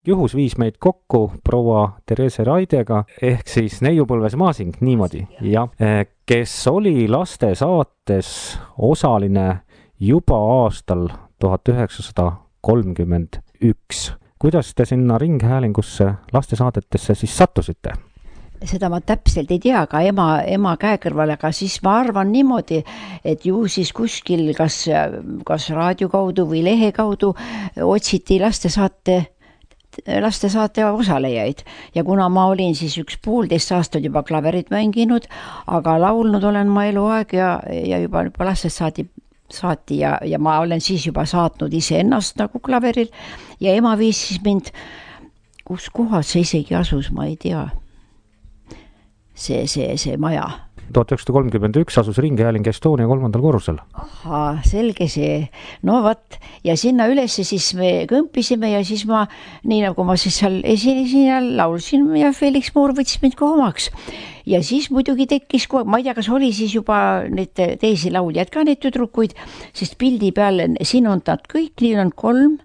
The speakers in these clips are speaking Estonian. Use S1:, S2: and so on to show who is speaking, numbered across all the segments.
S1: juhus viis meid kokku proua Therese Raidega ehk siis Neiupõlves Maasing, niimoodi, jah, kes oli lastesaates osaline juba aastal 1931. Kuidas te sinna ringhäälingusse lastesaadetesse siis sattusite?
S2: Seda ma täpselt ei tea, aga ema käe kõrval, aga siis ma arvan niimoodi, et ju siis kuskil kas raadio kaudu või lehe kaudu otsiti lastesaate osalejaid ja kuna ma olin siis 1,5 aastat juba klaverit mänginud, aga laulnud olen ma eluaeg ja juba lastest saati ja ma olen siis juba saatnud iseennast nagu klaveril ja ema viis siis mind, kus kohas see isegi asus, ma ei tea, see maja.
S1: 1931 asus Ringhääling Estonia 3. korrusel.
S2: Ahaa, selge see. No vat, ja sinna ülesse siis me kõmpisime ja siis ma, nii nagu ma siis seal esinesin ja laulsin ja Felix Moor võttis mind ka omaks. Ja siis muidugi tekkis, ma ei tea, kas oli siis juba need teisi lauljad ka, need tüdrukuid, sest pildi peal, siin on nad kõik, nii on 3,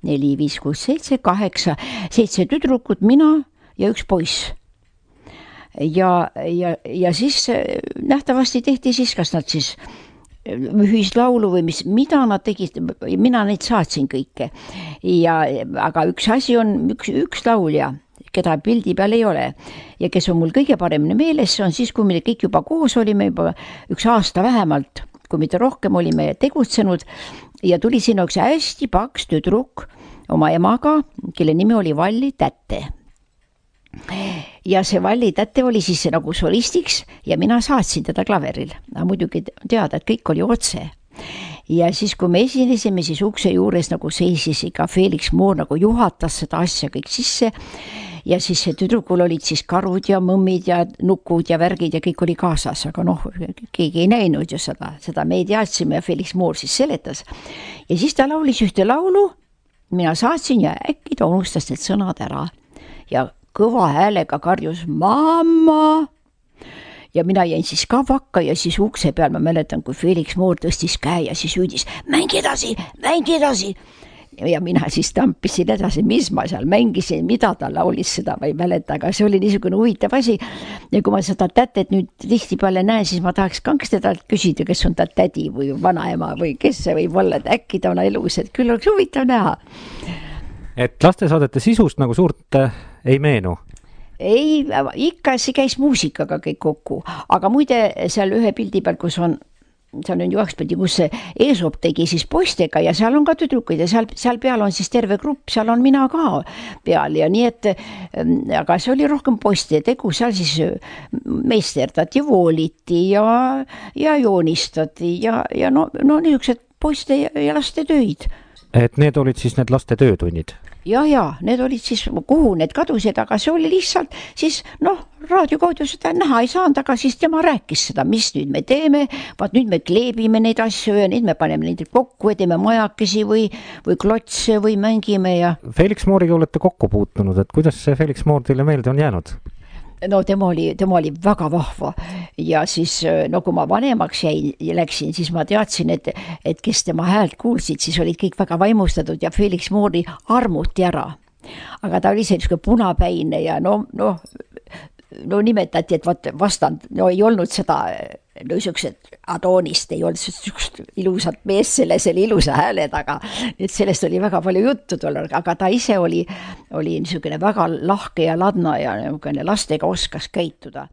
S2: 4, 5, 6, 7, 8, 7 tüdrukut, mina ja üks poiss. Ja siis nähtavasti tehti siis, kas nad siis ühislaulu või mida nad tegid, mina neid saatsin kõike. Aga üks asi on üks laulja, keda pildi peal ei ole ja kes on mul kõige paremini meeles, see on siis, kui me kõik juba koos olime, juba 1 aasta vähemalt, kui mitte rohkem olime tegutsenud ja tuli sinna üks hästi paks tüdruk oma emaga, kelle nimi oli Valli Tätte. Ja see Valli Tätte oli siis nagu solistiks ja mina saatsin teda klaveril. Muidugi teada, et kõik oli otse. Ja siis, kui me esinesime, siis ukse juures nagu seisis ikka Felix Moor nagu juhatas seda asja kõik sisse ja siis see tüdrukul olid siis karud ja mõmmid ja nukud ja värgid ja kõik oli kaasas, aga keegi ei näinud ju seda me ei teadsime ja Felix Moor siis seletas. Ja siis ta laulis ühte laulu, mina saatsin ja äkki ta unustas need sõnad ära ja kõva häälega karjus mamma ja mina jäin siis ka vakka ja siis ukse peal ma mäletan, kui Felix Moor tõstis käe ja siis hüüdis mängi edasi ja mina siis tampisin edasi, mis ma seal mängisin, mida ta laulis, seda ma ei mäleta, aga see oli niisugune huvitav asi ja kui ma seda tätet nüüd tihtipeale näen, siis ma tahaks kangst teda küsida, kes on ta tädi või vanaema või kes see võib olla, et äkki ta on elus, et küll oleks huvitav näha.
S1: Et lastesaadete sisust nagu suurt ei meenu?
S2: Ei, ikka see käis muusikaga kõik kokku, aga muide seal ühe pildi peal, kus on Juhakspildi, kus Eesop tegi siis poistega ja seal on ka tüdrukuid ja seal peal on siis terve grupp, seal on mina ka peal ja nii, et aga see oli rohkem poiste tegu, seal siis meisterdati, vooliti ja joonistati ja niisugused poiste ja laste töid.
S1: Et need olid siis need laste töötunnid?
S2: Ja, need olid siis, kuhu need kadusid, aga see oli lihtsalt siis, raadio kaudu seda näha ei saanud, aga siis tema rääkis seda, mis nüüd me teeme, vaat nüüd me kleebime neid asju ja nüüd me paneme neid kokku ja teeme majakesi või klotse või mängime ja... Felix
S1: Mooriga olete kokku puutunud, et kuidas see Felix Moor teile meelde on jäänud?
S2: No tema oli väga vahva ja siis, kui ma vanemaks läksin, siis ma teadsin, et kes tema häält kuulsid, siis olid kõik väga vaimustatud ja Felix Moori armuti ära. Aga ta oli selline punapäine ja nimetati, et vastand, ei olnud seda, niisugused Adoonist, ei olnud ilusat mees selle ilusa hääled, aga sellest oli väga palju juttu tollal, aga ta ise oli niisugune väga lahke ja ladna ja lastega oskas käituda.